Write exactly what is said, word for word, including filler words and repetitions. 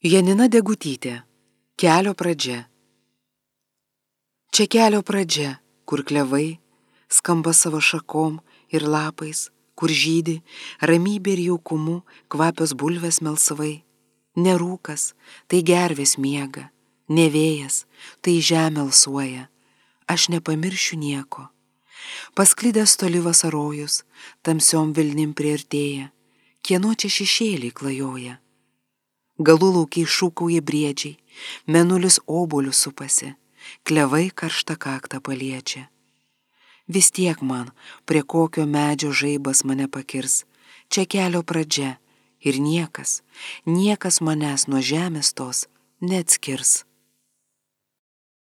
Janina Degutytė. Kelio pradžia. Čia kelio pradžia, kur klevai skamba savo šakom ir lapais, kur žydi ramybė ir jaukumu kvapios bulvės melsvai. Ne rūkas, tai gervės miega, ne vėjas, tai žemė alsuoja. Aš nepamiršiu nieko. Pasklidęs toli vasarojus, tamsiom vilnim priartėja, kieno čia šešėliai klajoja. Galų laukiai šūkauja briedžiai, mėnulis obuolius supasi, klevai karštą kaktą paliečia. Vis tiek man, prie kokio medžio žaibas mane pakirs, čia kelio pradžia ir niekas, niekas manęs nuo žemės tos neatskirs.